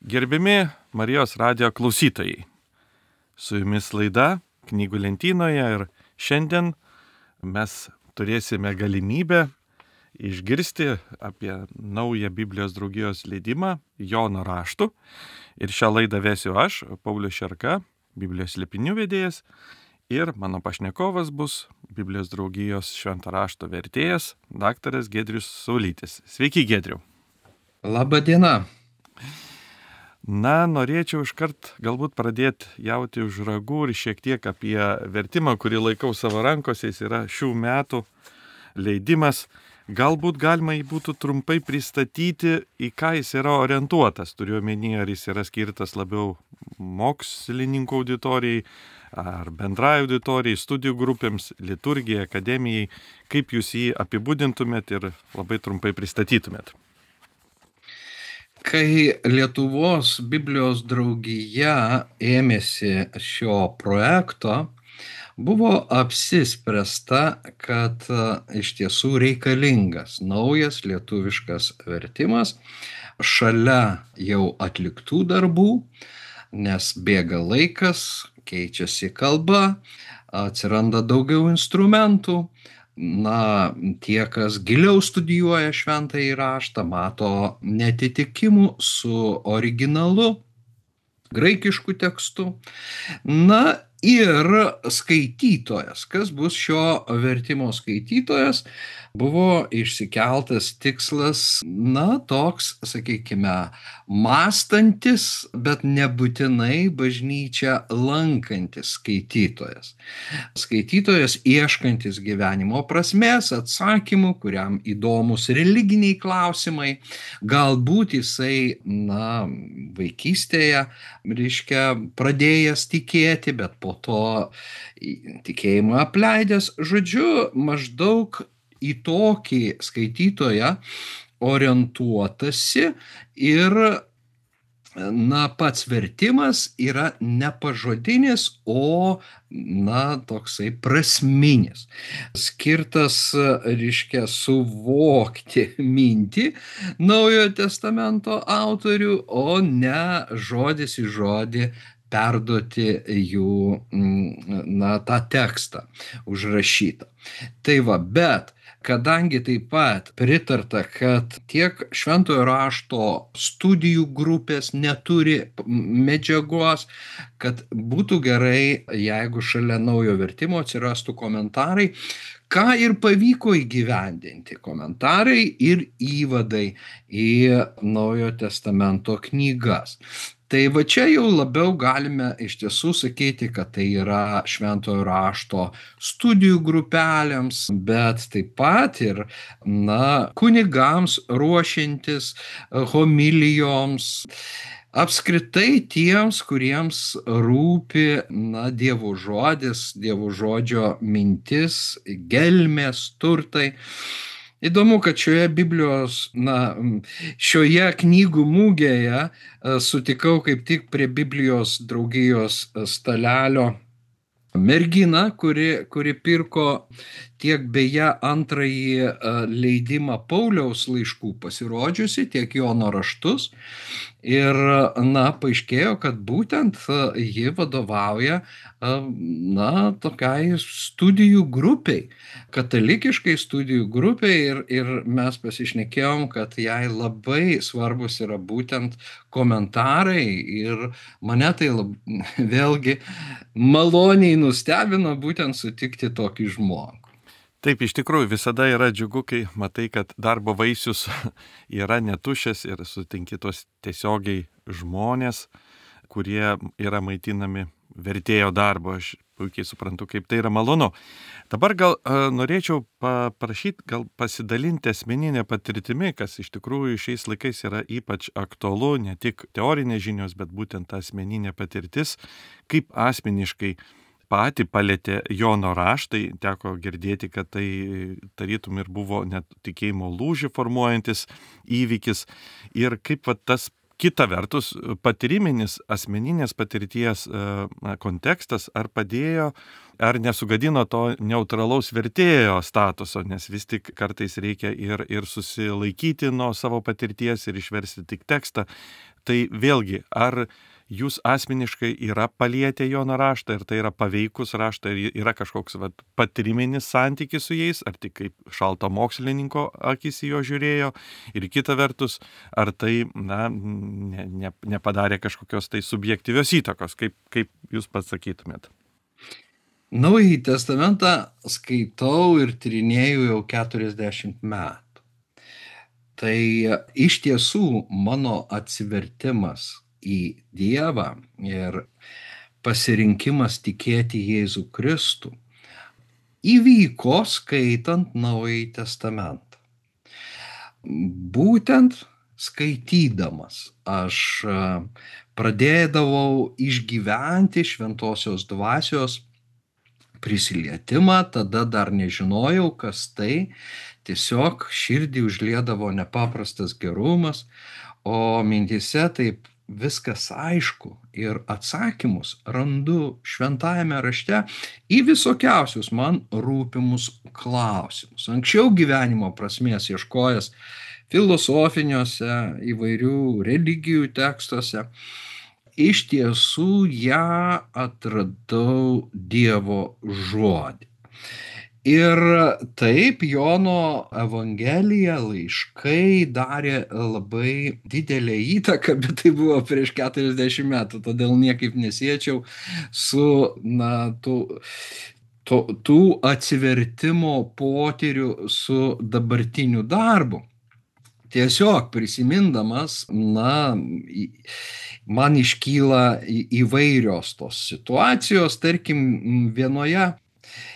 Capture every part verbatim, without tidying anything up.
Gerbiami Marijos radijo klausytojai, su jumis laida Knygų lentynoje ir šiandien mes turėsime galimybę išgirsti apie naują Biblijos draugijos leidimą Jono raštų. Ir šią laidą vesiu aš, Paulius Šerka, Biblijos slėpinių vedėjas, ir mano pašnekovas bus Biblijos draugijos švento rašto vertėjas, daktaras Giedrius Saulytis. Sveiki, Giedriau. Labą dieną. Na, norėčiau iškart galbūt pradėti jauti už ragų ir šiek tiek apie vertimą, kurį laikau savo rankose. Jis yra šių metų leidimas. Galbūt galima jį būtų trumpai pristatyti, į ką jis yra orientuotas. Turiu omeny, ar jis yra skirtas labiau mokslininkų auditorijai, ar bendrai auditorijai, studijų grupėms, liturgijai, akademijai. Kaip jūs jį apibūdintumėt ir labai trumpai pristatytumėt? Kai Lietuvos Biblijos draugija ėmėsi šio projekto, buvo apsispręsta, kad iš tiesų reikalingas naujas lietuviškas vertimas šalia jau atliktų darbų, nes bėga laikas, keičiasi kalba, atsiranda daugiau instrumentų. Na, tie, kas giliau studijuoja šventąjį raštą, mato neatitikimų su originalu, graikišku tekstu. Na ir skaitytojas, kas bus šio vertimo skaitytojas, buvo išsikeltas tikslas, na, toks, sakykime, mąstantis, bet nebūtinai bažnyčią lankantis skaitytojas. Skaitytojas ieškantis gyvenimo prasmės, atsakymų, kuriam įdomus religiniai klausimai, galbūt jisai, na, vaikystėje, reiškia, pradėjęs tikėti, bet po to tikėjimą apleidęs. Žodžiu, maždaug į tokį skaitytoją orientuotasi ir, na, pats vertimas yra ne pažodinis, o, na, toksai prasminis. Skirtas, reiškia, suvokti mintį Naujojo testamento autorių, o ne žodis į žodį perduoti jų, na, tą tekstą užrašytą. Tai va, bet kadangi taip pat pritarta, kad tiek šventojo rašto studijų grupės neturi medžiagos, kad būtų gerai, jeigu šalia naujo vertimo atsirastų komentarai, ką ir pavyko įgyvendinti, komentarai ir įvadai į Naujojo testamento knygas. Tai va čia jau labiau galime iš tiesų sakyti, kad tai yra šventojo rašto studijų grupelėms, bet taip pat ir, na, kunigams ruošiantis homilijoms, apskritai tiems, kuriems rūpi, na, Dievo žodis, Dievo žodžio mintis, gelmės, turtai. Įdomu, kad šioje Biblijos, na, šioje knygų mugėje sutikau kaip tik prie Biblijos draugijos stalelio merginą, kuri, kuri pirko tiek beje antrąjį leidimą Pauliaus laiškų pasirodžiusi, tiek Jono raštus. Ir, na, paaiškėjo, kad būtent ji vadovauja, na, tokiai studijų grupiai, katalikiškai studijų grupiai, ir, ir mes pasišnekėjom, kad jai labai svarbus yra būtent komentarai, ir mane tai lab, vėlgi maloniai nustebino būtent sutikti tokį žmogų. Taip, iš tikrųjų visada yra džiugu, kai matai, kad darbo vaisius yra netušęs ir sutinki tos tiesiogiai žmonės, kurie yra maitinami vertėjo darbo. Aš puikiai suprantu, kaip tai yra malonu. Dabar gal uh, norėčiau paprašyti, gal pasidalinti asmeninę patirtimi, kas iš tikrųjų šiais laikais yra ypač aktualu, ne tik teorinės žinios, bet būtent ta asmeninė patirtis, kaip asmeniškai patį palėtė Jono raštai. Teko girdėti, kad tai tarytum ir buvo net tikėjimo lūžį formuojantis įvykis. Ir kaip va, tas kita vertus patyriminis asmeninės patirties na, kontekstas ar padėjo, ar nesugadino to neutralaus vertėjo statuso, nes vis tik kartais reikia ir, ir susilaikyti nuo savo patirties ir išversti tik tekstą. Tai vėlgi, ar jūs asmeniškai yra palietę Jono raštą ir tai yra paveikus raštą ir yra kažkoks vat, patyriminis santykis su jais, ar tik kaip šalto mokslininko akis į jo žiūrėjo ir kita vertus, ar tai na, ne, ne, nepadarė kažkokios tai subjektyvios įtakos, kaip, kaip jūs pasakytumėt? Naująjį testamentą skaitau ir tyrinėju jau keturiasdešimt metų. Tai iš tiesų mano atsivertimas į Dievą ir pasirinkimas tikėti Jėzų Kristų įvyko skaitant Naująjį testamentą. Būtent skaitydamas aš pradėdavau išgyventi šventosios dvasios prisilietimą, tada dar nežinojau, kas tai, tiesiog širdį užliedavo nepaprastas gerumas, o mintyse taip viskas aišku ir atsakymus randu šventajame rašte į visokiausius man rūpimus klausimus. Anksčiau gyvenimo prasmės ieškojęs filosofiniuose įvairių religijų tekstuose, iš tiesų ją atradau Dievo žodį. Ir taip Jono Evangelija, laiškai darė labai didelę įtaką, bet tai buvo prieš keturiasdešimt metų, todėl niekaip nesiečiau su na, tų, tų, tų atsivertimo potyrių su dabartiniu darbu. Tiesiog prisimindamas, na, man iškyla įvairios tos situacijos, tarkim, vienoje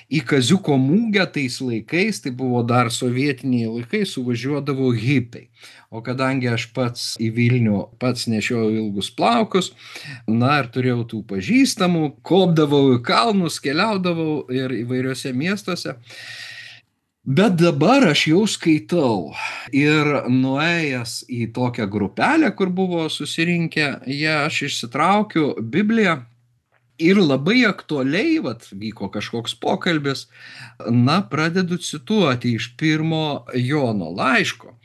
į Kaziuko mugę tais laikais, tai buvo dar sovietiniai laikai, suvažiuodavo hipiai. O kadangi aš pats į Vilnių pats nešiojau ilgus plaukus, na ir turėjau tų pažįstamų, kopdavau į kalnus, keliaudavau ir įvairiuose miestuose. Bet dabar aš jau skaitau ir nuėjęs į tokią grupelę, kur buvo susirinkę, jie aš išsitraukiu Bibliją ir labai aktualiai, vat, vyko kažkoks pokalbis, na, pradedu cituoti iš pirmo Jono laiško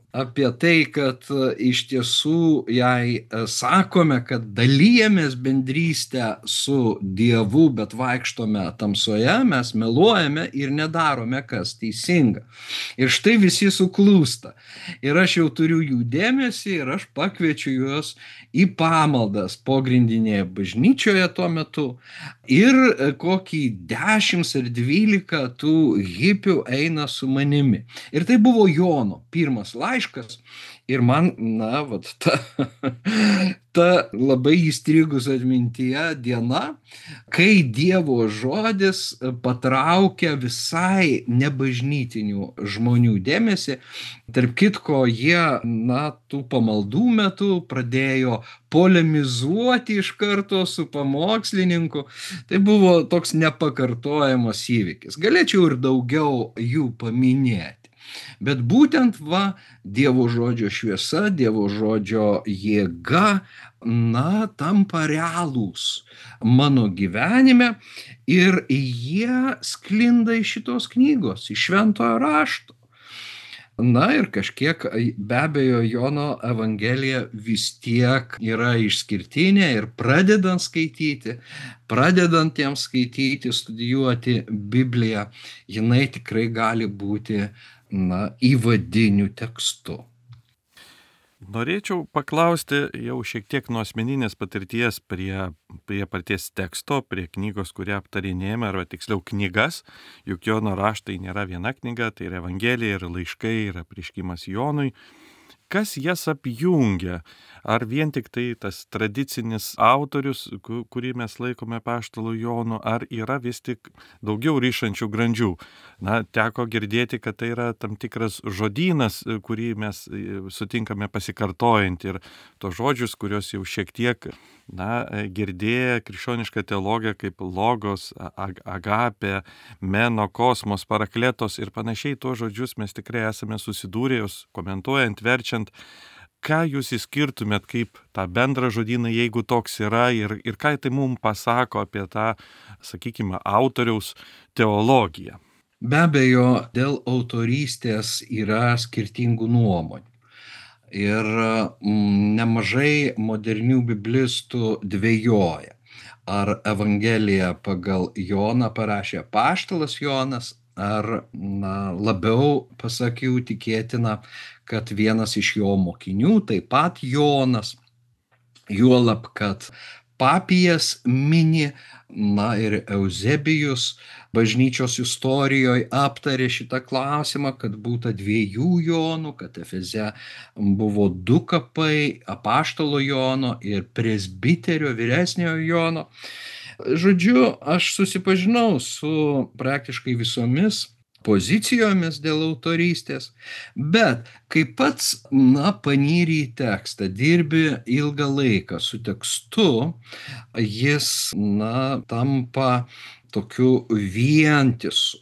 apie tai, kad iš tiesų jei sakome, kad dalijamės bendrystę su Dievu, bet vaikštome tamsoje, mes meluojame ir nedarome, kas teisinga. Ir štai visi suklūsta. Ir aš jau turiu jų dėmesį ir aš pakviečiu juos į pamaldas pogrindinėje bažnyčioje tuo metu. Ir kokį dešimt ar dvylika tų hipių eina su manimi. Ir tai buvo Jono pirmas laiškas. Ir man, na, vat, ta, ta labai įstrigus atmintyje diena, kai Dievo žodis patraukia visai nebažnytinių žmonių dėmesį. Tarp kitko, jie, na, tų pamaldų metu pradėjo polemizuoti iš karto su pamokslininku. Tai buvo toks nepakartojamas įvykis. Galėčiau ir daugiau jų paminėti. Bet būtent va, Dievo žodžio šviesa, Dievo žodžio jėga, na, tampa realūs mano gyvenime ir jie sklinda iš šitos knygos, iš šventojo rašto. Na ir kažkiek, be abejo, Jono Evangelija vis tiek yra išskirtinė ir pradedant skaityti, pradedant jiems skaityti, studijuoti Bibliją, jinai tikrai gali būti, na, įvadiniu tekstu. Norėčiau paklausti jau šiek tiek nuo asmeninės patirties prie, prie paties teksto, prie knygos, kurią aptarinėjame, arba tiksliau knygas, juk Jono raštai nėra viena knyga, tai yra Evangelija ir laiškai, ir apreiškimas Jonui. Kas jas apjungia? Ar vien tik tai tas tradicinis autorius, kurį mes laikome apaštalu Jonu, ar yra vis tik daugiau ryšančių grandžių? Na, teko girdėti, kad tai yra tam tikras žodynas, kurį mes sutinkame pasikartojant ir tos žodžius, kurios jau šiek tiek, na, girdėję krikščionišką teologiją kaip logos, ag- agapė, meno, kosmos, parakletos ir panašiai, tuos žodžius mes tikrai esame susidūrę, jūs komentuojant, verčiant. Ką jūs išskirtumėt kaip tą bendrą žodyną, jeigu toks yra, ir, ir ką tai mums pasako apie tą, sakykime, autoriaus teologiją? Be abejo, dėl autorystės yra skirtingų nuomonių. Ir mm, nemažai modernių biblistų dvejoja, ar Evangeliją pagal Joną parašė apaštalas Jonas, ar na, labiau, pasak jų, tikėtina, kad vienas iš jo mokinių, taip pat Jonas, juolab, kad Papijas mini, na ir Euzebijus bažnyčios istorijoje aptarė šitą klausimą, kad būta dviejų Jonų, kad Efeze buvo du kapai, apaštalo Jono ir presbiterio vyresniojo Jono. Žodžiu, aš susipažinau su praktiškai visomis pozicijomis dėl autorystės, bet kai pats, na, panyri į tekstą, dirbi ilgą laiką su tekstu, jis, na, tampa tokiu vientisu.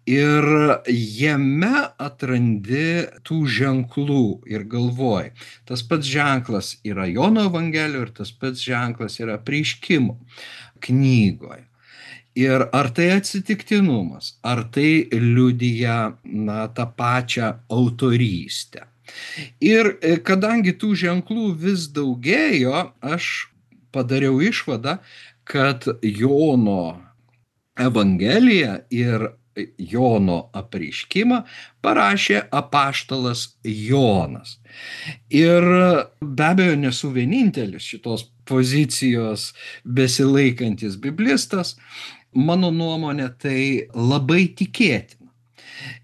Ir jame atrandi tų ženklų ir galvoji, tas pats ženklas yra Jono Evangelijoje ir tas pats ženklas yra Apreiškimo knygoje. Ir ar tai atsitiktinumas, ar tai liudija, na, tą pačią autorystę. Ir kadangi tų ženklų vis daugėjo, aš padariau išvadą, kad Jono Evangeliją ir Jono Apreiškimą parašė apaštalas Jonas. Ir be abejo nesu vienintelis šitos pozicijos besilaikantis biblistas, mano nuomonė tai labai tikėtina.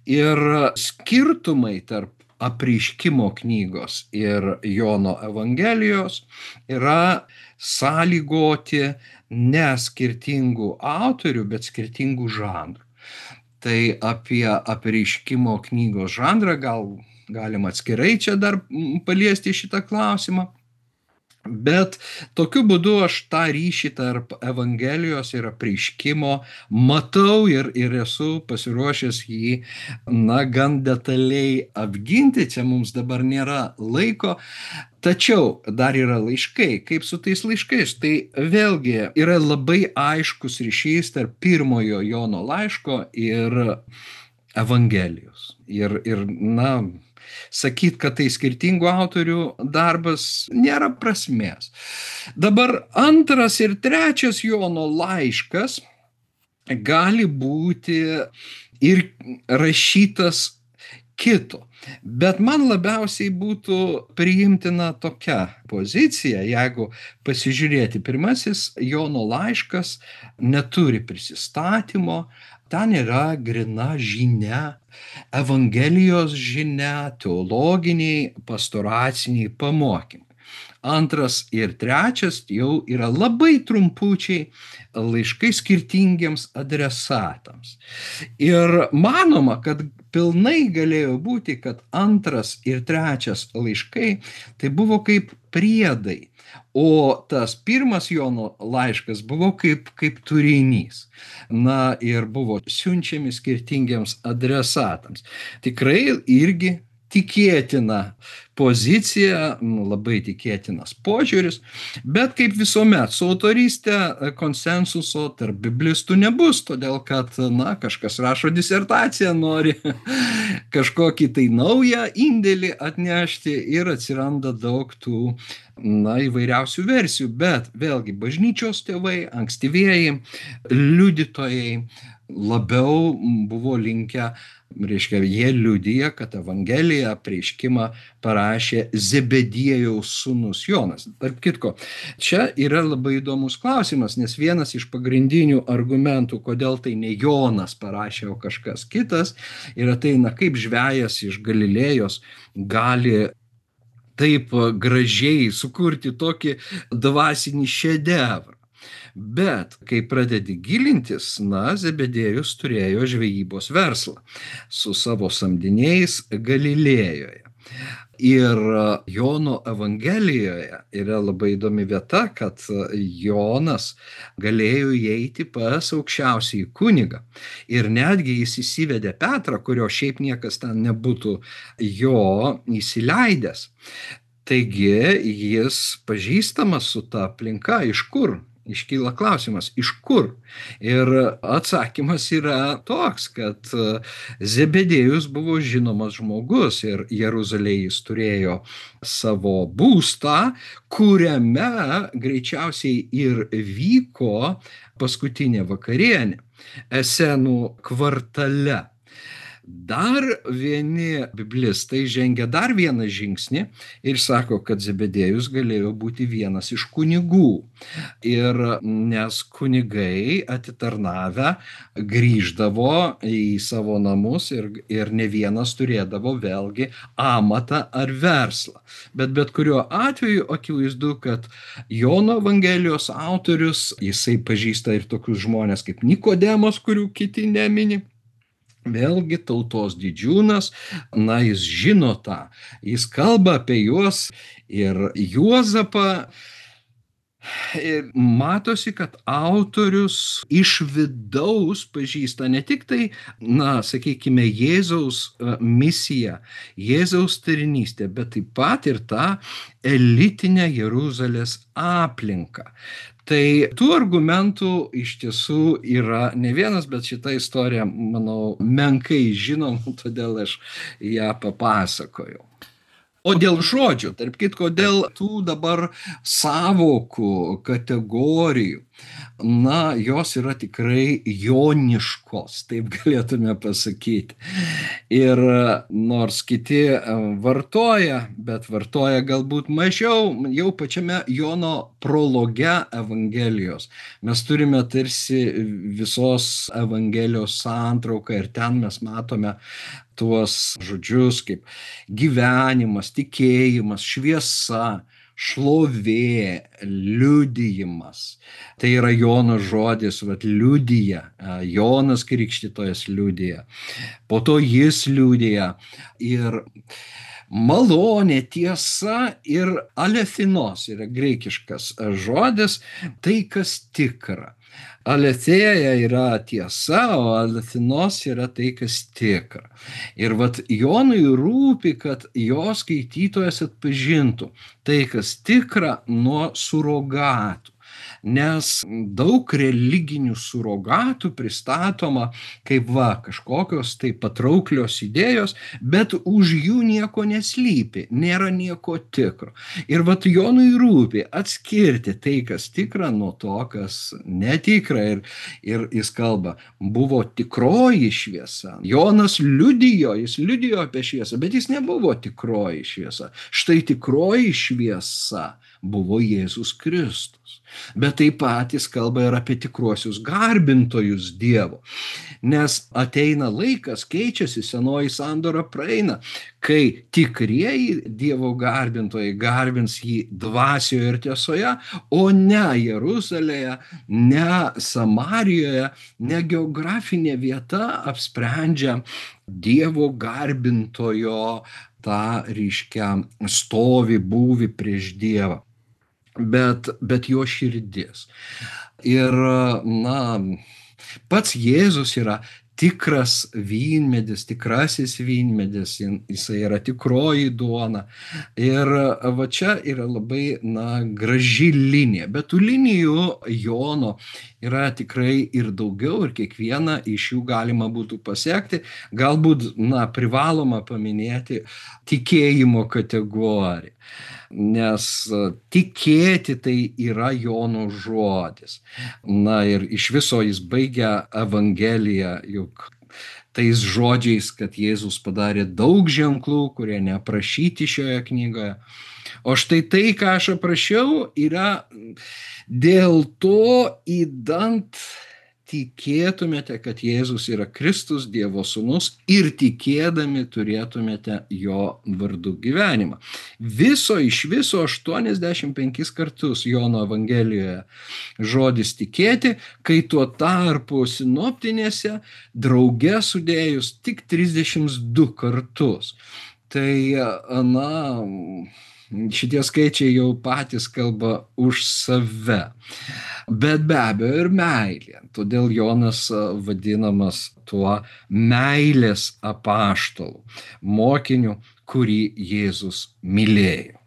Ir skirtumai tarp Apreiškimo knygos ir Jono Evangelijos yra sąlygoti ne skirtingų autorių, bet skirtingų žanrų. Tai apie Apreiškimo knygos žanrą gal galima atskirai čia dar paliesti šitą klausimą. Bet tokiu būdu aš tą ryšį tarp Evangelijos ir Apreiškimo matau ir, ir esu pasiruošęs jį, na, gan detaliai apginti. Čia mums dabar nėra laiko. Tačiau dar yra laiškai. Kaip su tais laiškais? Tai vėlgi yra labai aiškus ryšys tarp pirmojo Jono laiško ir Evangelijos. Ir, ir na, sakyt, kad tai skirtingų autorių darbas, nėra prasmės. Dabar antras ir trečias Jono laiškas gali būti ir rašytas kito. Bet man labiausiai būtų priimtina tokia pozicija, jeigu pasižiūrėti, pirmasis Jono laiškas neturi prisistatymo, ten yra grina žinia, Evangelijos žinia, teologiniai, pastoraciniai pamokymai. Antras ir trečias jau yra labai trumpučiai laiškai skirtingiems adresatams. Ir manoma, kad pilnai galėjo būti, kad antras ir trečias laiškai tai buvo kaip priedai, o tas pirmas Jono laiškas buvo kaip, kaip turinys. Na ir buvo siunčiami skirtingiems adresatams. Tikrai irgi tikėtina pozicija, labai tikėtinas požiūris, bet kaip visuomet, su autorystė konsensuso tarp biblistų nebus, todėl kad, na, kažkas rašo disertaciją, nori kažkokį tai naują indėlį atnešti ir atsiranda daug tų, na, įvairiausių versijų, bet vėlgi bažnyčios tėvai, ankstyvieji liudytojai labiau buvo linkę, reiškia, jie liudija, kad Evangeliją, Apreiškimą parašė Zebediejaus sūnus Jonas. Tarp kitko, čia yra labai įdomus klausimas, nes vienas iš pagrindinių argumentų, kodėl tai ne Jonas parašė, o kažkas kitas, yra tai, na, kaip žvejas iš Galilėjos gali taip gražiai sukurti tokį dvasinį šedevrą. Bet kai pradedi gilintis, na, Zebediejus turėjo žvejybos verslą su savo samdiniais Galilėjoje. Ir Jono Evangelijoje yra labai įdomi vieta, kad Jonas galėjo įeiti pas aukščiausiąjį kunigą. Ir netgi jis įsivedė Petrą, kurio šiaip niekas ten nebūtų jo įsileidęs. Taigi jis pažįstamas su ta aplinka, iš kur iškyla klausimas, iš kur? Ir atsakymas yra toks, kad Zebedėjus buvo žinomas žmogus ir Jeruzalėje jis turėjo savo būstą, kuriame greičiausiai ir vyko paskutinė vakarienė Esenų kvartale. Dar vieni biblistai žengia dar vieną žingsnį ir sako, kad Zebedėjus galėjo būti vienas iš kunigų. Ir nes kunigai atitarnavę grįždavo į savo namus ir, ir ne vienas turėdavo vėlgi amatą ar verslą. Bet bet kuriuo atveju akivaizdu, kad Jono Evangelijos autorius, jisai pažįsta ir tokius žmonės kaip Nikodemas, kurių kiti nemini. Vėlgi tautos didžiūnas, na, jis žino tą, jis kalba apie juos ir Juozapą. Ir matosi, kad autorius iš vidaus pažįsta ne tik tai, na, sakykime, Jėzaus misiją, Jėzaus tarnystę, bet taip pat ir tą elitinę Jeruzalės aplinką. Tai tų argumentų iš tiesų yra ne vienas, bet šitą istoriją, manau, menkai žinom, todėl aš ją papasakojau. O dėl žodžių, tarp kitko, dėl tų dabar savokų, kategorijų, na, jos yra tikrai joniškos, taip galėtume pasakyti. Ir nors kiti vartoja, bet vartoja galbūt mažiau, jau pačiame Jono prologe Evangelijos. Mes turime tarsi visos Evangelijos santrauką ir ten mes matome tuos žodžius kaip gyvenimas, tikėjimas, šviesa, šlovė, liudijimas. Tai yra Jono žodis, vat, liudija, Jonas Krikštytojas liudija, po to jis liudija ir malonė, tiesa ir alethinos yra graikiškas žodis, tai kas tikra. Aletheia yra tiesa, o alethinos yra tai, kas tikra. Ir vat Jonui rūpi, kad jo skaitytojas atpažintų tai, kas tikra, nuo surogatų. Nes daug religinių surogatų pristatoma kaip va, kažkokios tai patrauklios idėjos, bet už jų nieko neslypi, nėra nieko tikro. Ir vat Jonui rūpi atskirti tai, kas tikra, nuo to, kas netikra. Ir, ir jis kalba, buvo tikroji šviesa. Jonas liudijo, jis liudijo apie šviesą, bet jis nebuvo tikroji šviesa. Štai tikroji šviesa buvo Jėzus Kristus. Bet taip pat jis kalba ir apie tikruosius garbintojus Dievo. Nes ateina laikas, keičiasi, senoji sandora praeina, kai tikrieji Dievo garbintojai garbins jį dvasioje ir tiesoje, o ne Jeruzalėje, ne Samarijoje, ne geografinė vieta apsprendžia Dievo garbintojo tą ryškę stovį, būvį prieš Dievą. Bet, bet jo širdis. Ir, na, pats Jėzus yra tikras vynmedis, tikrasis vynmedis, jisai yra tikroji duona. Ir va čia yra labai, na, graži linija. Bet tų linijų Jono yra tikrai ir daugiau, ir kiekvieną iš jų galima būtų pasiekti. Galbūt, na, privaloma paminėti tikėjimo kategoriją. Nes tikėti tai yra Jono žodis. Na ir iš viso jis baigia Evangeliją juk tais žodžiais, kad Jėzus padarė daug ženklų, kurie neaprašyti šioje knygoje. O štai tai, ką aš aprašiau, yra dėl to, idant tikėtumėte, kad Jėzus yra Kristus, Dievo sūnus, ir tikėdami turėtumėte jo vardu gyvenimą. Viso iš viso aštuoniasdešimt penkis kartus Jono Evangelijoje žodis tikėti, kai tuo tarpu sinoptinėse drauge sudėjus tik trisdešimt du kartus. Tai, na, šitie skaičiai jau patys kalba už save. Bet be abejo ir meilė. Todėl Jonas vadinamas tuo meilės apaštalu, mokiniu, kurį Jėzus mylėjo.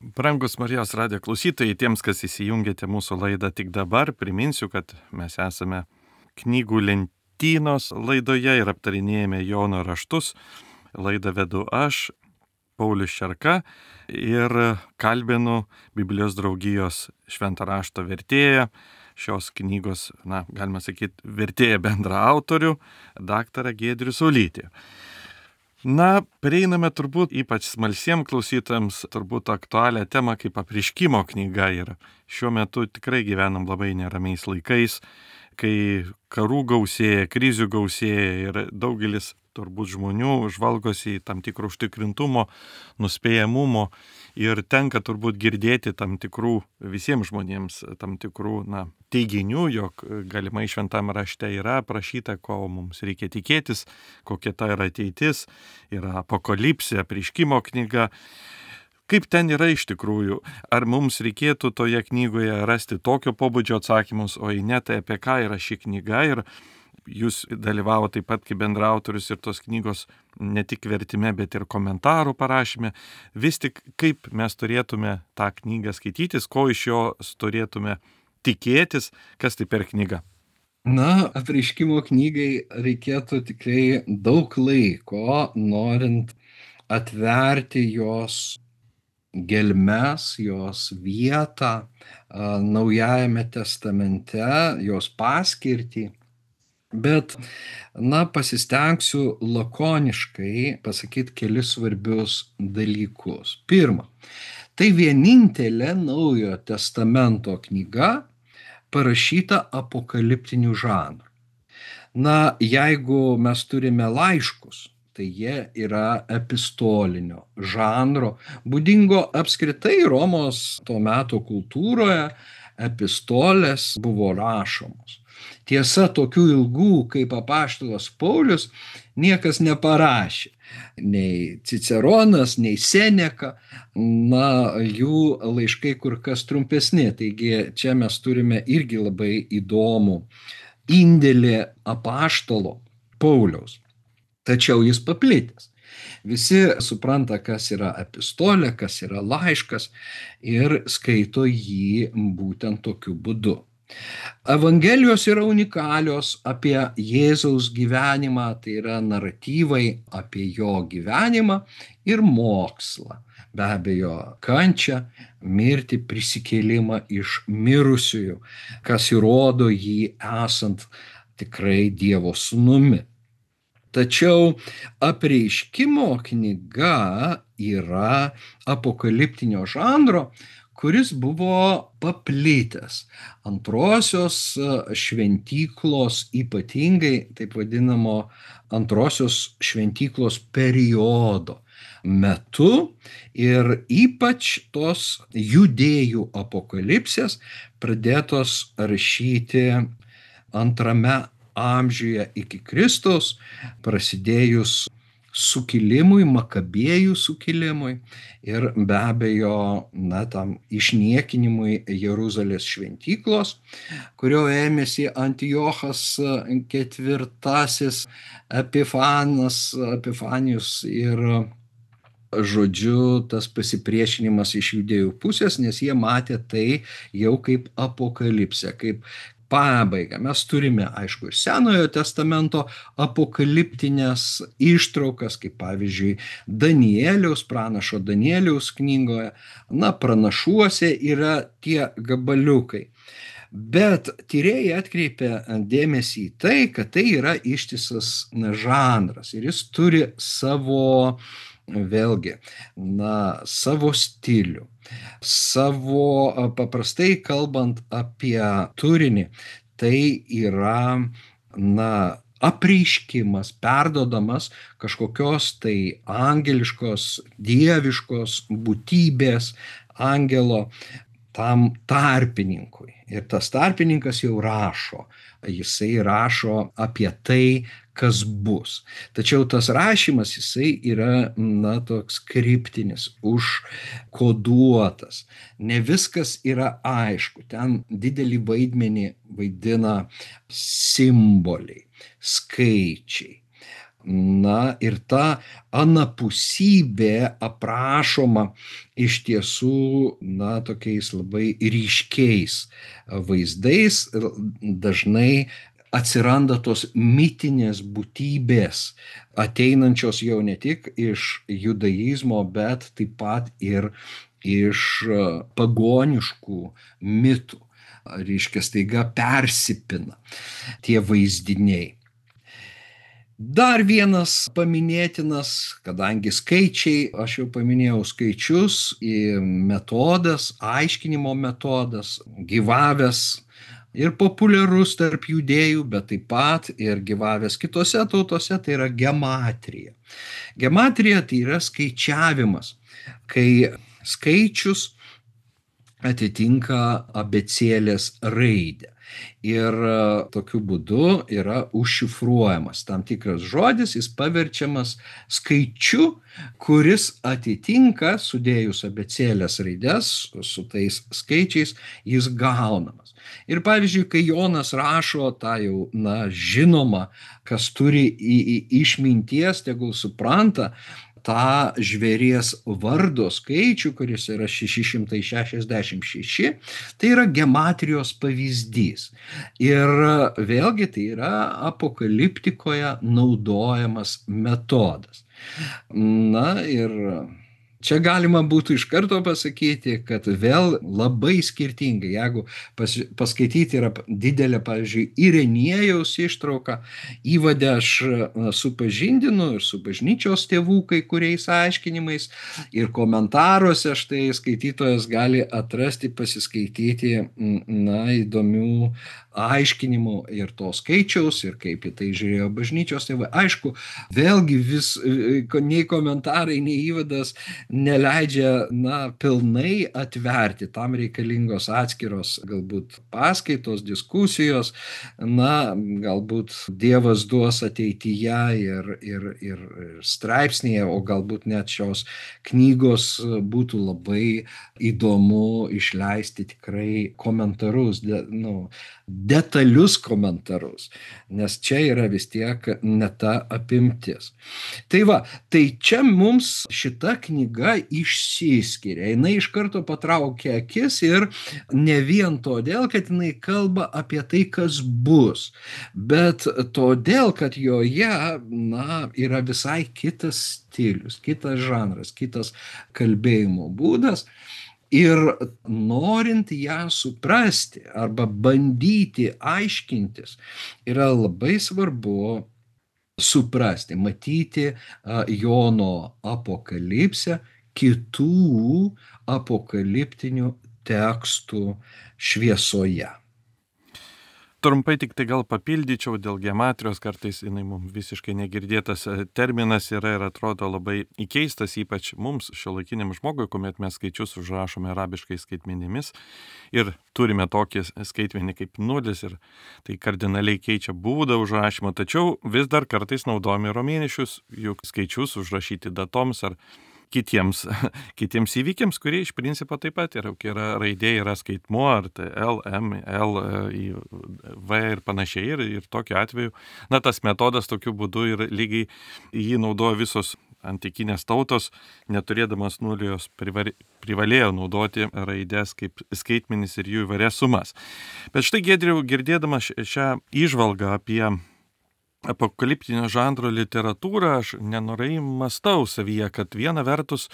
Brangus Marijos radijo klausytojai, tiems, kas įsijungėte mūsų laidą tik dabar, priminsiu, kad mes esame knygų lentynos laidoje ir aptarinėjame Jono raštus. Laidą vedu aš, Paulius Šerka, ir kalbinu Biblijos draugijos švento rašto vertėją, šios knygos, na, galima sakyti, vertėją bendra autorių, daktarą Giedrių Saulytį. Na, prieiname turbūt ypač smalsiems klausytojams turbūt aktualią temą kaip apreiškimo knyga ir šiuo metu tikrai gyvenam labai neramiais laikais, kai karų gausėja, krizių gausėja ir daugelis turbūt žmonių žvalgosi į tam tikrų užtikrintumo, nuspėjamumo ir tenka turbūt girdėti tam tikrų visiems žmonėms tam tikrų, na, teiginių, jog galimai šventame rašte yra aprašyta, ko mums reikia tikėtis, kokia ta yra ateitis, yra apokalipsė, apreiškimo knyga. Kaip ten yra iš tikrųjų? Ar mums reikėtų toje knygoje rasti tokio pobūdžio atsakymus, o jei ne, tai apie ką yra ši knyga? Ir jūs dalyvavo taip pat kaip bendraautorius ir tos knygos ne tik vertime, bet ir komentarų parašyme. Vis tik kaip mes turėtume tą knygą skaitytis, ko iš jos turėtume tikėtis, kas tai per knyga? Na, apreiškimo knygai reikėtų tikrai daug laiko, norint atverti jos gelmes, jos vietą a, Naujajame testamente, jos paskirtį. Bet, na, pasistengsiu lakoniškai pasakyti kelis svarbius dalykus. Pirma, tai vienintelė Naujojo testamento knyga parašyta apokaliptiniu žanru. Na, jeigu mes turime laiškus, tai jie yra epistolinio žanro, būdingo apskritai Romos to meto kultūroje, epistolės buvo rašomos. Tiesa, tokių ilgų kaip apaštalas Paulius niekas neparašė. Nei Ciceronas, nei Seneka, na, jų laiškai kur kas trumpesni. Taigi čia mes turime irgi labai įdomų indėlį apaštalo Pauliaus. Tačiau jis paplitęs. Visi supranta, kas yra epistolė, kas yra laiškas ir skaito jį būtent tokiu būdu. Evangelijos yra unikalios apie Jėzaus gyvenimą, tai yra naratyvai apie jo gyvenimą ir mokslą. Be abejo, kančią, mirtį, prisikėlimą iš mirusiųjų, kas įrodo jį esant tikrai Dievo sūnumi. Tačiau apreiškimo knyga yra apokaliptinio žanro, kuris buvo paplitęs antrosios šventyklos, ypatingai taip vadinamo antrosios šventyklos periodo metu ir ypač tos judėjų apokalipsės pradėtos rašyti antrame amžiuje iki Kristaus, prasidėjus sukilimui, Makabėjų sukilimui ir be abejo, na, tam išniekinimui Jeruzalės šventyklos, kurio ėmėsi Antiochas ketvirtasis Epifanas, Epifanijus ir žodžiu tas pasipriešinimas iš judėjų pusės, nes jie matė tai jau kaip apokalipsę, kaip pabaigą. Mes turime, aišku, ir Senojo testamento apokaliptinės ištraukas, kaip pavyzdžiui Danieliaus, pranašo Danieliaus knygoje, na, pranašuose yra tie gabaliukai. Bet tyrėjai atkreipia dėmesį į tai, kad tai yra ištisas žanras ir jis turi savo, vėlgi, na, savo stilių. Savo, paprastai kalbant apie turinį, tai yra, na, apreiškimas, perduodamas kažkokios tai angeliškos, dieviškos būtybės, angelo tam tarpininkui. Ir tas tarpininkas jau rašo, jisai rašo apie tai, kas bus. Tačiau tas rašymas, jisai yra, na, toks kriptinis, užkoduotas. Ne viskas yra aišku. Ten didelį vaidmenį vaidina simboliai, skaičiai, Na ir ta anapusybė aprašoma iš tiesų, na, tokiais labai ryškiais vaizdais, dažnai atsiranda tos mitinės būtybės, ateinančios jau ne tik iš judaizmo, bet taip pat ir iš pagoniškų mitų. Reiškia, staiga persipina tie vaizdiniai. Dar vienas paminėtinas, kadangi skaičiai, aš jau paminėjau skaičius, metodas, aiškinimo metodas, gyvavęs ir populiarus tarp judėjų, bet taip pat ir gyvavęs kitose tautose, tai yra gematrija. Gematrija tai yra skaičiavimas, kai skaičius atitinka abėcėlės raidę. Ir tokiu būdu yra užšifruojamas tam tikras žodis, jis paverčiamas skaičiu, kuris atitinka, sudėjus abėcėlės raides su tais skaičiais, jis gaunamas. Ir pavyzdžiui, kai Jonas rašo tą jau, na, žinoma, kas turi į, į išminties, tegul supranta, tą žvėries vardo skaičių, kuris yra šeši šimtai šešiasdešimt šeši, tai yra gematrijos pavyzdys. Ir vėlgi tai yra apokaliptikoje naudojamas metodas. Na ir čia galima būtų iš karto pasakyti, kad vėl labai skirtingai, jeigu pas, paskaityti yra didelė, pavyzdžiui, Ireniejaus ištrauka, įvade aš supažindinu ir su bažnyčios tėvų kai kuriais aiškinimais, ir komentaruose štai skaitytojas gali atrasti, pasiskaityti, na, įdomių aiškinimų ir to skaičiaus, ir kaip į tai žiūrėjo bažnyčios tėvai. Aišku, vėlgi vis, nei komentarai, nei įvadas neleidžia, na, pilnai atverti, tam reikalingos atskiros galbūt paskaitos, diskusijos, na, galbūt Dievas duos ateityje ir, ir, ir straipsnėje, o galbūt net šios knygos būtų labai įdomu išleisti tikrai komentarus, de, nu, detalius komentarus, nes čia yra vis tiek ne ta apimtis. Tai va, tai čia mums šita knyga išsiskiria, jinai iš karto patraukia akis ir ne vien todėl, kad jinai kalba apie tai, kas bus, bet todėl, kad joje, na, yra visai kitas stilius, kitas žanras, kitas kalbėjimo būdas. Ir norint ją suprasti arba bandyti aiškintis, yra labai svarbu suprasti, matyti Jono apokalipsę kitų apokaliptinių tekstų šviesoje. Trumpai tik tai gal papildyčiau dėl gematrijos, kartais jinai mums visiškai negirdėtas terminas yra ir atrodo labai įkeistas, ypač mums šiuolaikiniam žmogui, kuomet mes skaičius užrašome arabiškai skaitmenimis ir turime tokį skaitmenį kaip nulis ir tai kardinaliai keičia būdą užrašymo, tačiau vis dar kartais naudojame romėniškus juk skaičius užrašyti datoms ar kitiems, kitiems įvykiams, kurie iš principo taip pat yra, yra raidė, yra skaitmuo, ar tai L, M, L, V ir panašiai. Ir, ir tokiu atveju, na, tas metodas tokiu būdu ir lygiai jį naudojo visos antikinės tautos, neturėdamas nulijos privalėjo naudoti raidės kaip skaitmenis ir jų įvairias sumas. Bet štai, Giedriau, girdėdamas šią įžvalgą apie apokaliptinio žanro literatūrą, aš nenorai mąstau savyje, kad viena vertus,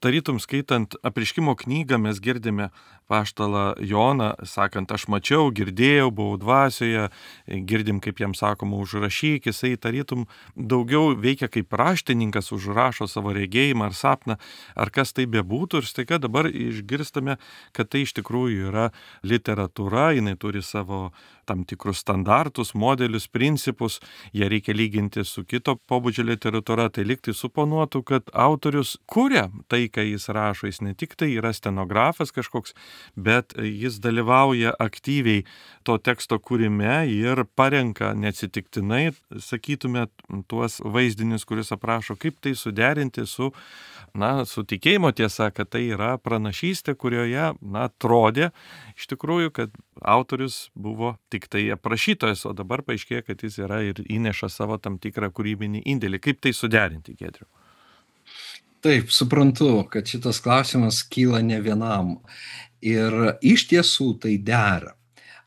tarytum skaitant apreiškimo knygą, mes girdime apaštalą Joną, sakant, aš mačiau, girdėjau, buvau dvasioje, girdim, kaip jam sakoma, užrašyk, jisai tarytum daugiau veikia kaip raštininkas, užrašo savo regėjimą ar sapną, ar kas tai bebūtų, ir staiga dabar išgirstame, kad tai iš tikrųjų yra literatūra, jinai turi savo tam tikrus standartus, modelius, principus, jie reikia lyginti su kito pobūdžio literatūra, tai liktai suponuotų, kad autorius kuria tai, ką jis rašo, jis ne tik tai yra stenografas kažkoks, bet jis dalyvauja aktyviai to teksto kūrime ir parenka neatsitiktinai, sakytume, tuos vaizdinius, kuris aprašo, kaip tai suderinti su, na, su tikėjimo tiesa, kad tai yra pranašystė, kurioje, na, atrodė iš tikrųjų, kad autorius buvo tik tai aprašytojas, o dabar paaiškėja, kad jis yra ir įneša savo tam tikrą kūrybinį indėlį. Kaip tai suderinti, Giedriau? Taip, suprantu, kad šitas klausimas kyla ne vienam. Ir iš tiesų tai dera.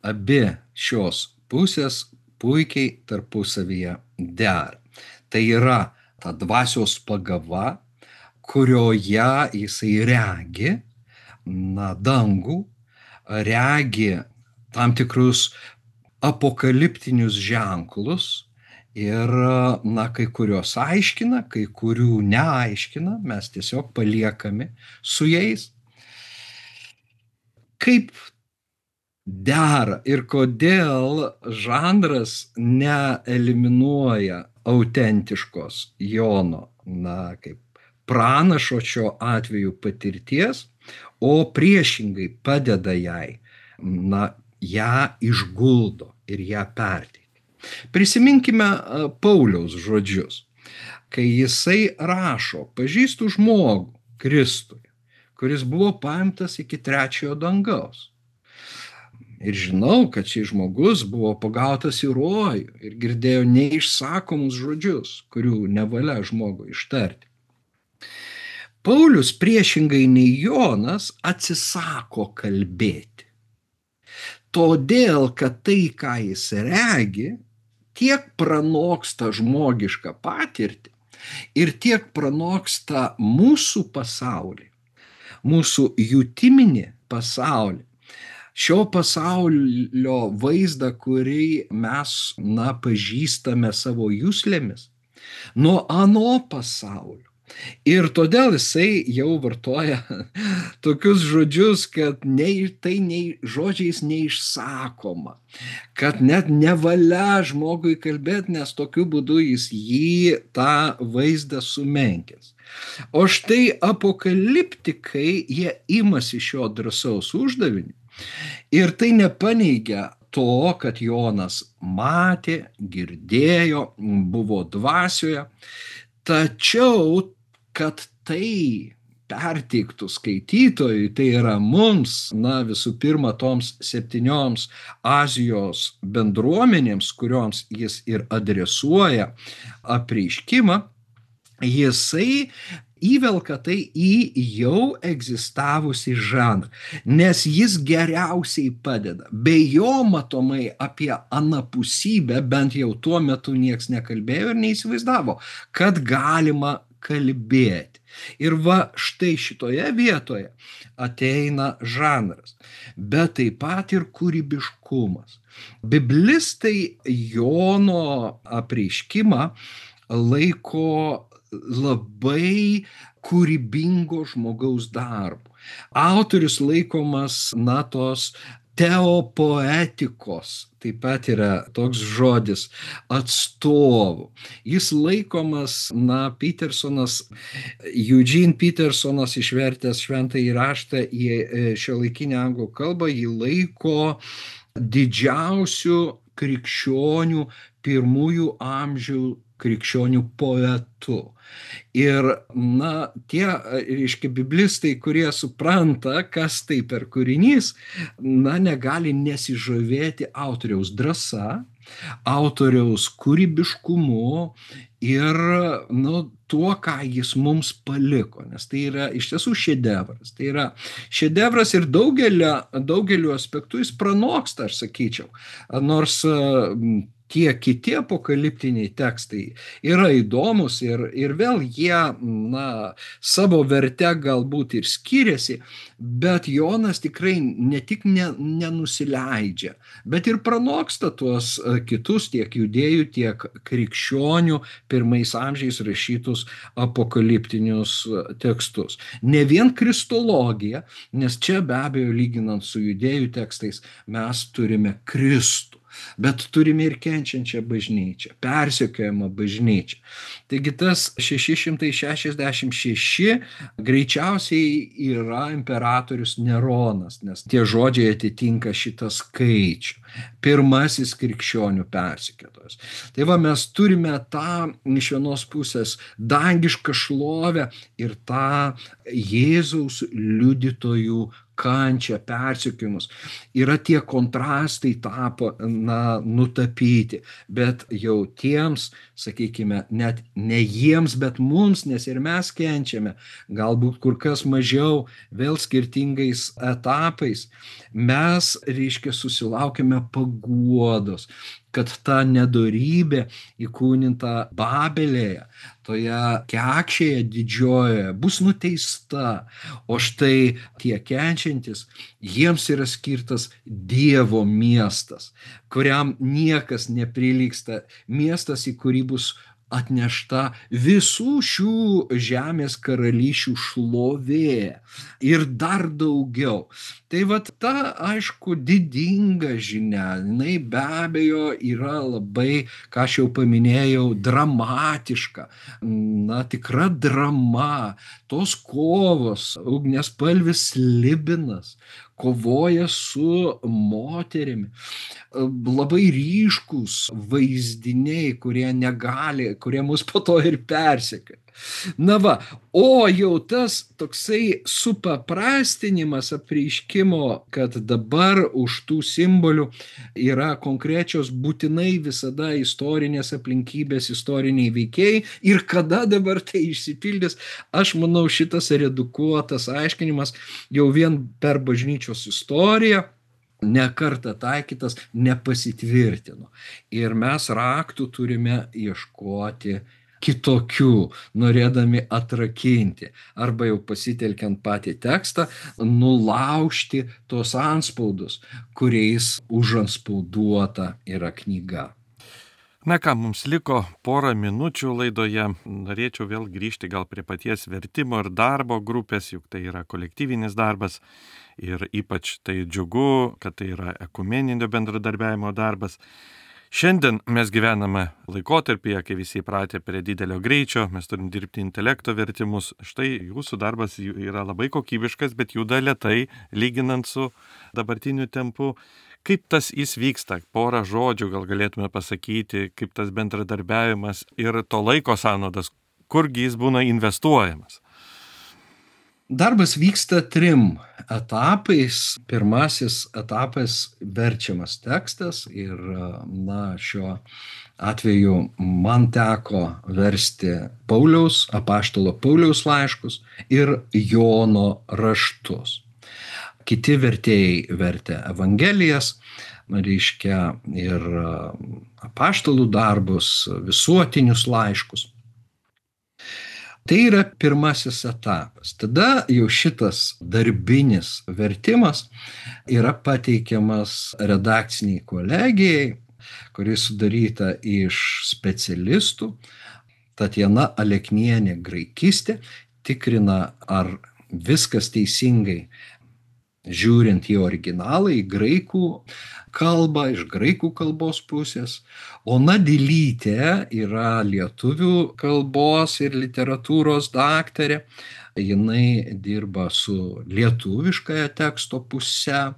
Abi šios pusės puikiai tarpusavyje dera. Tai yra ta dvasios pagava, kurioje jisai regi, na, dangų, regi tam tikrus apokaliptinius ženklus ir, na, kai kurios aiškina, kai kurių neaiškina, mes tiesiog paliekami su jais. Kaip dera ir kodėl žanras neeliminuoja autentiškos Jono, na, kaip pranašo šiuo atveju patirties, o priešingai padeda jai, na, ją išguldo ir ją perteikia. Prisiminkime Pauliaus žodžius, kai jisai rašo, pažįstu žmogų Kristui, kuris buvo paimtas iki trečiojo dangaus. Ir žinau, kad šis žmogus buvo pagautas į rojų ir girdėjo neišsakomus žodžius, kurių nevalia žmogui ištarti. Paulius priešingai nei Jonas atsisako kalbėti. Todėl, kad tai, ką jis regi, tiek pranoksta žmogišką patirtį ir tiek pranoksta mūsų pasaulį, mūsų jutiminį pasaulį, šio pasaulio vaizdą, kurį mes, na, pažįstame savo juslėmis, nuo ano pasaulio. Ir todėl jisai jau vartoja tokius žodžius, kad nei, tai nei žodžiais neišsakoma, kad net nevalia žmogui kalbėti, nes tokiu būdu jis jį tą vaizdą sumenkins. O štai apokaliptikai, jie imasi šio drąsaus uždavinį ir tai nepaneigia to, kad Jonas matė, girdėjo, buvo dvasioje, tačiau kad tai perteiktų skaitytojui, tai yra mums, na, visų pirma, toms septynioms Azijos bendruomenėms, kurioms jis ir adresuoja apreiškimą, jisai įvelka tai į jau egzistavusį žanrą, nes jis geriausiai padeda. Be jo matomai apie anapusybę bent jau tuo metu nieks nekalbėjo ir neįsivaizdavo, kad galima kalbėti. Ir va štai šitoje vietoje ateina žanras, bet taip pat ir kūrybiškumas. Biblistai Jono apreiškimą laiko labai kūrybingo žmogaus darbu. Autorius laikomas, na, tos teopoetikos, taip pat yra toks žodis, atstovų. Jis laikomas, na, Petersonas, Eugene Petersonas išvertęs šventąjį raštą į šiuolaikinę anglų kalbą, jį laiko didžiausių krikščionių pirmųjų amžių krikščionių poetu. Ir, na, tie, reiškia, biblistai, kurie supranta, kas tai per kūrinys, na, negali nesižavėti autoriaus drąsa, autoriaus kūrybiškumu ir, nu, tuo, ką jis mums paliko, nes tai yra iš tiesų šedevras. Tai yra šedevras ir daugelio, daugeliu aspektų jis pranoksta, aš sakyčiau, nors tie kiti apokaliptiniai tekstai yra įdomus ir, ir vėl jie, na, savo verte galbūt ir skiriasi, bet Jonas tikrai ne tik ne, nenusileidžia, bet ir pranoksta tuos kitus tiek judėjų, tiek krikščionių pirmais amžiais rašytus apokaliptinius tekstus. Ne vien kristologija, nes čia be abejo lyginant su judėjų tekstais mes turime Kristų. bet turime ir kenčiančią bažnyčią, persekiojamą bažnyčią. Taigi tas šeši šimtai šešiasdešimt šeši greičiausiai yra imperatorius Neronas, nes tie žodžiai atitinka šitą skaičių. Pirmasis krikščionių persekiotojas. Tai va, mes turime tą iš vienos pusės dangišką šlovę ir tą Jėzaus liudytojų kančią, persekiojimus. Yra tie kontrastai tapo, na, nutapyti, bet jau tiems, sakykime, net ne jiems, bet mums, nes ir mes kenčiame, galbūt kur kas mažiau, vėl skirtingais etapais, mes, reiškia, susilaukime paguodos, kad ta nedorybė įkūninta Babelėje, toje kekšėje didžiojoje, bus nuteista, o štai tie kenčiantis, jiems yra skirtas Dievo miestas, kuriam niekas neprilygsta, miestas, į kurį bus atnešta visų šių žemės karalysčių šlovė ir dar daugiau. Tai vat ta, aišku, didinga žinia, jinai be abejo yra labai, ką aš jau paminėjau, dramatiška, na, tikra drama, tos kovos, ugniaspalvis Slibinas kovoja su moterimi, labai ryškūs vaizdiniai, kurie negali, kurie mus po to ir persekioja. Na va, o jau tas toksai supaprastinimas apreiškimo, kad dabar už tų simbolių yra konkrečios būtinai visada istorinės aplinkybės, istoriniai veikėjai ir kada dabar tai išsipildys, aš manau, šitas redukuotas aiškinimas jau vien per bažnyčios istoriją ne kartą taikytas nepasitvirtino. Ir mes raktų turime ieškoti kitokių, norėdami atrakinti, arba jau pasitelkiant patį tekstą, nulaužti tos anspaudus, kuriais užanspauduota yra knyga. Na ką, mums liko porą minučių laidoje. Norėčiau vėl grįžti gal prie paties vertimo ir darbo grupės, juk tai yra kolektyvinis darbas ir ypač tai džiugu, kad tai yra ekumeninio bendradarbiavimo darbas. Šiandien mes gyvename laikotarpyje, kai visi įpratę prie didelio greičio, mes turim dirbti intelekto vertimus. Štai jūsų darbas yra labai kokybiškas, bet juda lėtai, lyginant su dabartiniu tempu. Kaip tas jis vyksta? Porą žodžių gal galėtume pasakyti, kaip tas bendradarbiavimas ir to laiko sąnaudas, kurgi jis būna investuojamas? Darbas vyksta trim etapais. Pirmasis etapas verčiamas tekstas ir, na, šiuo atveju man teko versti Pauliaus, apaštalo Pauliaus laiškus ir Jono raštus. Kiti vertėjai vertė Evangelijas, reiškia ir apaštalų darbus, visuotinius laiškus. Tai yra pirmasis etapas. Tada jau šitas darbinis vertimas yra pateikiamas redakciniai kolegijai, kuri sudaryta iš specialistų. Tatjana Aleknienė, graikistė, tikrina, ar viskas teisingai žiūrint į originalą, į graikų kalbą, iš graikų kalbos pusės. Ona Dilytė yra lietuvių kalbos ir literatūros daktarė. Jinai dirba su lietuviškąja teksto puse.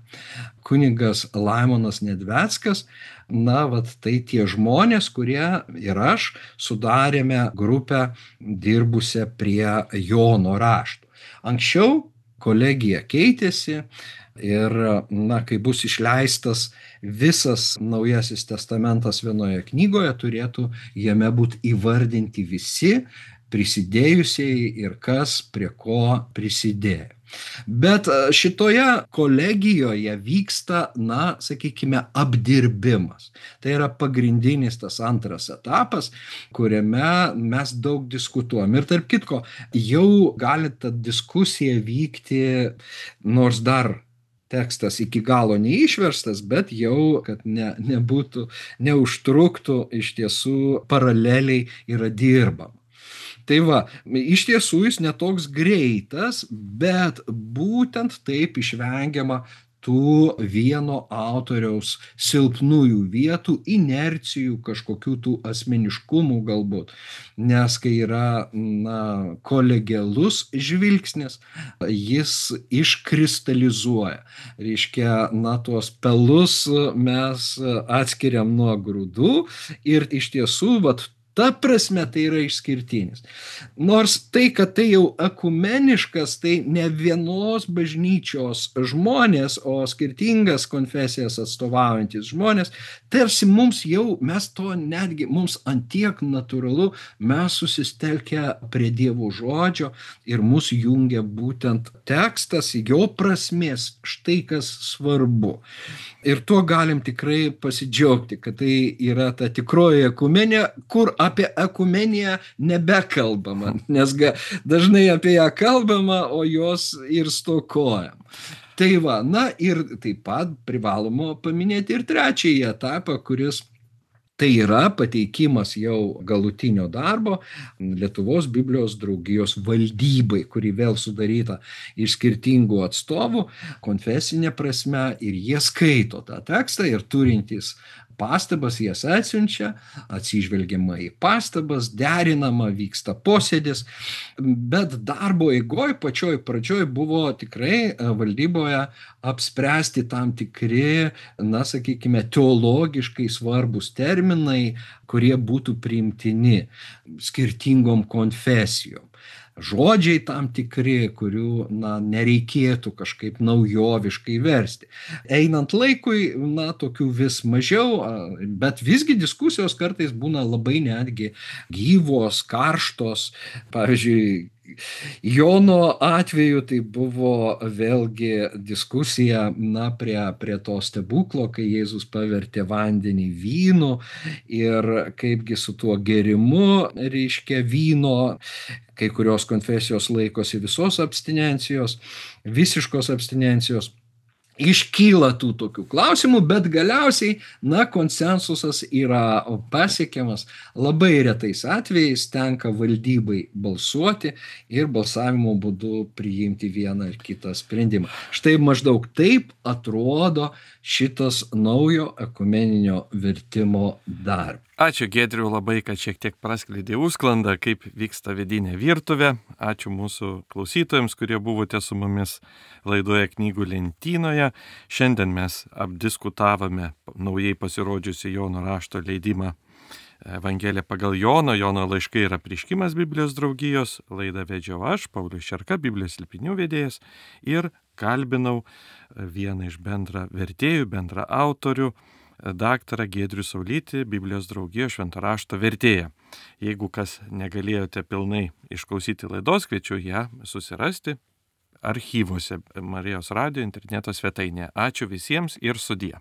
Kunigas Laimonas Nedveckas. Na, vat tai tie žmonės, kurie ir aš sudarėme grupę dirbusią prie Jono raštų. Anksčiau kolegija keitėsi ir, na, kai bus išleistas visas Naujasis testamentas vienoje knygoje, turėtų jame būti įvardinti visi prisidėjusieji ir kas prie ko prisidėjo. Bet šitoje kolegijoje vyksta, na, sakykime, apdirbimas. Tai yra pagrindinis tas antras etapas, kuriame mes daug diskutuojam. Ir tarp kitko, jau gali ta diskusija vykti, nors dar tekstas iki galo neišverstas, bet jau, kad ne, nebūtų, neužtruktų, iš tiesų paraleliai yra dirbama. Tai va, iš tiesų jis netoks greitas, bet būtent taip išvengiama tų vieno autoriaus silpnųjų vietų, inercijų, kažkokių tų asmeniškumų galbūt. Nes kai yra na, kolegialus žvilgsnis, jis iškristalizuoja. Reiškia, na, tuos pelus mes atskiriam nuo grūdų ir iš tiesų, vat, ta prasme tai yra išskirtinis. Nors tai, kad tai jau ekumeniškas, tai ne vienos bažnyčios žmonės, o skirtingas konfesijas atstovaujantis žmonės, tarsi mums jau, mes to netgi, mums antiek natūralu, mes susitelkę prie Dievo žodžio ir mus jungia būtent tekstas, jo prasmės, štai kas svarbu. Ir tuo galim tikrai pasidžiaugti, kad tai yra ta tikroji ekumenė, kur apie ekumeniją nebekalbama, nes ga, dažnai apie ją kalbama, o jos ir stokojam. Tai va, na ir taip pat privaloma paminėti ir trečiąjį etapą, kuris tai yra pateikimas jau galutinio darbo Lietuvos Biblijos draugijos valdybai, kuri vėl sudaryta iš skirtingų atstovų konfesinė prasme, ir jie skaito tą tekstą ir turintys pastabas jas atsiunčia, atsižvelgiama į pastabas, derinama, vyksta posėdis, bet darbo eigoj pačioj pradžioj buvo tikrai valdyboje apspręsti tam tikri, na, sakykime, teologiškai svarbus terminai, kurie būtų priimtini skirtingom konfesijom. Žodžiai tam tikri, kurių na, nereikėtų kažkaip naujoviškai versti. Einant laikui, na, tokių vis mažiau, bet visgi diskusijos kartais būna labai netgi gyvos, karštos. Pavyzdžiui, Jono atveju tai buvo vėlgi diskusija na, prie, prie to stebuklo, kai Jėzus pavertė vandenį vynu ir kaipgi su tuo gėrimu, reiškia vyno, kai kurios konfesijos laikosi visos abstinencijos, visiškos abstinencijos. Iškyla tų tokių klausimų, bet galiausiai, na, konsensusas yra pasiekiamas. Labai retais atvejais tenka valdybai balsuoti ir balsavimo būdu priimti vieną ar kitą sprendimą. Štai maždaug taip atrodo šitas naujo ekumeninio vertimo darbas. Ačiū Giedriau labai, kad šiek tiek praskleidė užsklandą, kaip vyksta vidinė virtuvė. Ačiū mūsų klausytojams, kurie buvote su mumis laidoje Knygų lentynoje. Šiandien mes apdiskutavome naujai pasirodžiusi Jono rašto leidimą Evangelija pagal Jono. Jono laiškai ir apreiškimas Biblijos draugijos. Laidą vedžiau aš, Paulius Šerka, Biblijos slėpinių vedėjas, ir kalbinau vieną iš bendra vertėjų, bendra autorių, daktarą Giedrių Saulytį, Biblijos draugijos švento rašto vertėją. Jeigu kas negalėjote pilnai išklausyti laidos, kviečiu ją susirasti archyvuose Marijos radijo interneto svetainėje. Ačiū visiems ir sudie.